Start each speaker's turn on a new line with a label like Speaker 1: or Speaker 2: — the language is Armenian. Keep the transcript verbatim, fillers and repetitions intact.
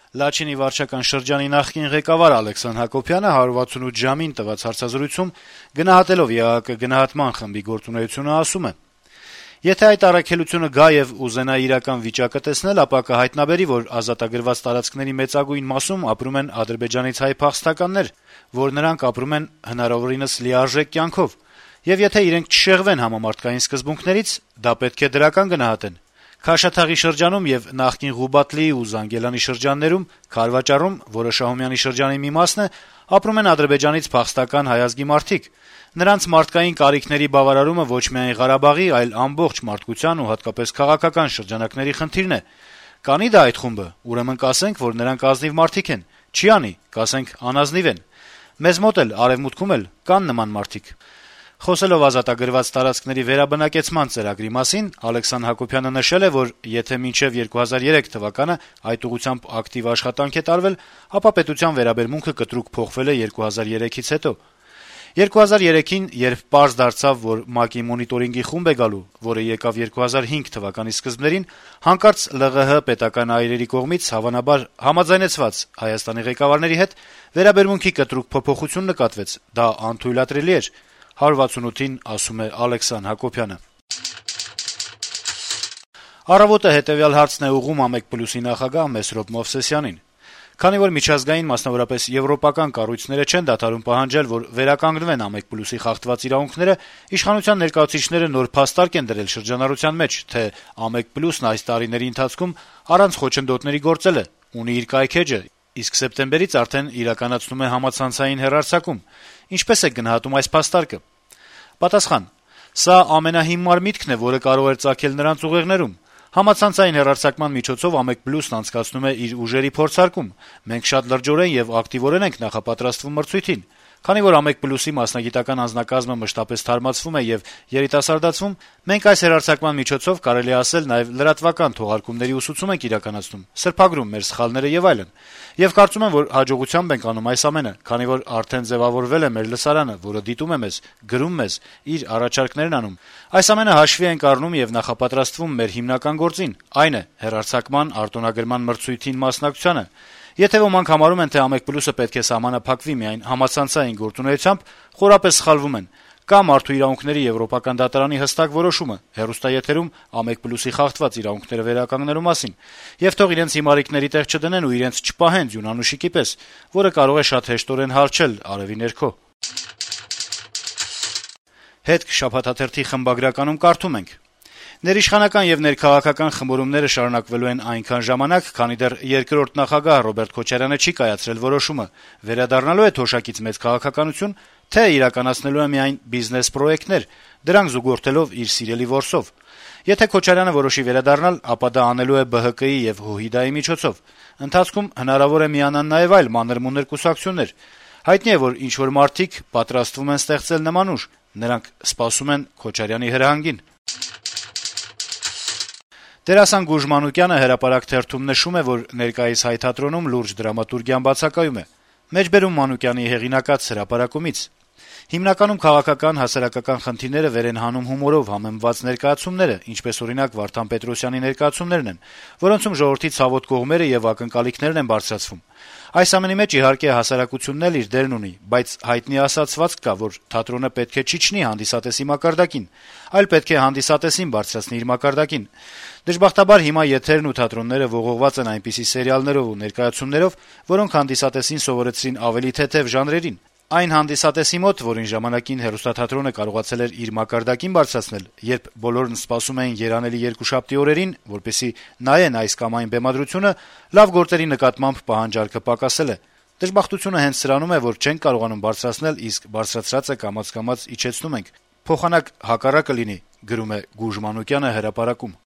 Speaker 1: Լաչինի վարչական շրջանի նախկին ղեկավար Ալեքսան Հակոբյանը հարյուր վաթսունութ ժամին տված հարցազրույցում գնահատելով ԵԱՀԿ գնահատման խմբի գործունեությունը ասում է. - «Եթե այդ առաքելությունը գա եւ ուզենա իրական վիճակը տեսնել, ապա կհայտնաբերի, որ ազատագրված տարածքների մեծագույն մասում ապրում են Ադրբեջանից հայ փախստականներ, որ նրանք ապրում են հնարավորինս լիարժեք կյանքով, եւ եթե իրենք չշեղվեն համամարտկային սկզբունքներից, դա պետք է դրական գնահատեն։ Քաշաթաղի շրջանում եւ նախկին Ղուբատլիի ու Զանգելանի շրջաններում, Քարվաճառում, որը Շահումյանի շրջանի մի մասն է, ապրում են Ադրբեջանից փախստական հայ ազգի մարդիկ։ Նրանց մարդկային կարիքների բավարարումը ոչ միայն Ղարաբաղի, այլ ամբողջ մարդկության ու հատկապես քաղաքական շրջանակների խնդիրն է։ Կանի դա այդ խումբը, ուրեմն կասենք, որ նրանք ազնիվ մարդիկ են, չի անի, կասենք անազնիվ են։ Մեզ մոտ էլ, արեւմուտքում էլ կան նման մարդիկ»։ Խոսելով ազատագրված տարածքների վերաբնակեցման ծրագրի մասին, Ալեքսան Հակոբյանը նշել է, որ եթե մինչեւ երկու հազար երեք թվականը այդ ուղղությամբ ակտիվ աշխատանք է տարվել, ապա պետության վերաբերմունքը կտրուկ փոխվել է երկու հազար երեքից հետո։ երկու հազար երեքին, երբ պարզ դարձավ, որ ՄԱԿ-ի մոնիտորինգի խումբ է գալու, որը եկավ երկու հազար հինգ թվականի սկզբներին, հանկարծ ԼՂՀ պետական այրերի կողմից հավանաբար համաձայնեցված Հայաստանի ղեկավարների հետ վերաբերմունքի կտրուկ փոփոխություն նկատվեց, դա անթույլատրելի էր, հարյուր վաթսունութին ասում է Ալեքսան Հակոբյանը։ «Առավոտ»-ը հետեւյալ հարցն է ուղղում ԱՄԵԿ+-ի նախագահ Մեսրոպ Մովսեսյանին. - «Քանի որ միջազգային, մասնավորապես եվրոպական կառույցները չեն դադարում պահանջել, որ վերականգնվեն ԱՄԵԿ+-ի խախտված իրավունքները, իշխանության ներկայացուցիչները նոր փաստարկ են դրել շրջանառության մեջ, թե ԱՄԵԿ+-ն այս տարիների ընթացքում առանց խոչընդոտների գործել է, ունի իր կայքէջը, իսկ սեպտեմբերից արդեն իրականացնում է համացանցային հեռարձակում։ Ինչպե՞ս եք գնահատում այս փաստարկը»։ Պատասխան. - «Սա ամենահիմար միտքն է, որը կարող էր ծագել նրանց ուղեղներում։ Համացանցային հեռարձակման միջոցով ԱՄԵԿ+-ն անցկացնում է իր ուժերի փորձարկում։ Մենք շատ լրջորեն եւ ակտիվորեն ենք նախապատրաստվում մրցույթին։ Քանի որ ԱՄԵԿ+-ի մասնագիտական անձնակազմը մշտապես թարմացվում է եւ երիտասարդացվում, մենք այս հեռարձակման միջոցով կարելի է ասել նաեւ լրատվական թողարկումների ուսուցում ենք իրականացնում, սրբագրում մեր սխալները եւ այլն։ Եվ կարծում եմ, որ հաջողությամբ ենք անում այս ամենը, քանի որ արդեն ձեւավորվել է մեր լսարանը, որը դիտում է մեզ, գրում մեզ, իր առաջարկներն անում։ Այս ամենը հաշվի ենք առնում եւ նախապատրաստվում մեր հիմնական գործին, այն է հեռարձակման արտոնագրման մրցույթին մասնակցությանը։ Եթե ոմանք համարում են, թե ԱՄԵԿ+-ը պետք է սահմանափակվի միայն համացանցային գործունեությամբ, խորապես սխալվում են։ Կա մարդու իրավունքների եվրոպական դատարանի հստակ որոշումը հեռուստաեթերում ԱՄԵԿ+-ի խախտված իրավունքները վերականգնելու մասին, եւ թող իրենց հիմարիկների տեղ չդնեն ու իրենց չպահեն ձյունանուշիկի պես, որը կարող է շատ հեշտորեն հարչել արեւի ներքո»։ «Հետք» շաբաթաթերթի խմբագրականում կարդում ենք. - «Ներիշխանական եւ ներքաղաքական խմորումները շարունակվելու են այնքան ժամանակ, քանի դեռ երկրորդ նախագահ Ռոբերտ Քոչարյանը չի կայացրել որոշումը՝ վերադառնալու է թոշակից մեծ քաղաքականություն, թե իրականացնելու է միայն բիզնես պրոյեկտներ, դրանք զուգորդելով իր սիրելի որսով։ Եթե Քոչարյանը որոշի վերադառնալ, ապա դա անելու է Բ Հ Կ-ի եւ ՀՅԴ-ի միջոցով։ Ընթացքում հնարավոր է միանան նաեւ այլ մանր-մունր կուսակցություններ։ Հայտնի է, որ ինչ-որ մարդիկ պատրաստվում են ստեղծել նման ուժ, նրանք սպասում են Քոչարյանի հրահանգին»։ Դերասան Գուժ Մանուկյանը հրապարակ թերթում նշում է, որ ներկայիս հայ թատրոնում լուրջ դրամատուրգիան բացակայում է։ Մեջբերում Մանուկյանի հեղինակած հրապարակումից. - «Հիմնականում քաղաքական, հասարակական խնդիրները վեր են հանում հումորով համեմված ներկայացումները, ինչպես օրինակ Վարդան Պետրոսյանի ներկայացումներն են, որոնցում ժողովրդի ցավոտ կողմերը եւ ակնկալիքներն են բարձրացվում։ Այս ամենի մեջ իհարկե հասարակությունն էլ իր դերն ունի, բայց հայտնի ասացվածք կա, որ թատրոնը պետք է չիջնի հանդիսատեսի մակարդակին, այլ պետք է հանդիսատեսին բարձրացնի իր մակարդակին։ Դժբախտաբար հիմա եթերն ու թատրոնները ողողված են այնպիսի սերիալներով ու ներկայացումներով, որոնք հանդիսատեսին սովորեցրին ավելի թեթեւ ժանրերին։ Այն հանդիսատեսի մոտ, որին ժամանակին հեռուստաթատրոնը կարողացել էր իր մակարդակին բարձրացնել, երբ բոլորն սպասում էին երանելի երկուշաբթի օրերին, որպեսզի նայեն այս կամ այն բեմադրությունը, լավ գործերի նկատմամբ պահանջարկը պակասել է։ Դժբախտությունը հենց սրանում է, որ չենք կարողանում բարձրացնել, իսկ բարձրացրածը կամաց-կամաց իջեցնում ենք։ Փոխանակ հակառակը լինի», գրում է Գուժ Մանուկյանը հրապարակում։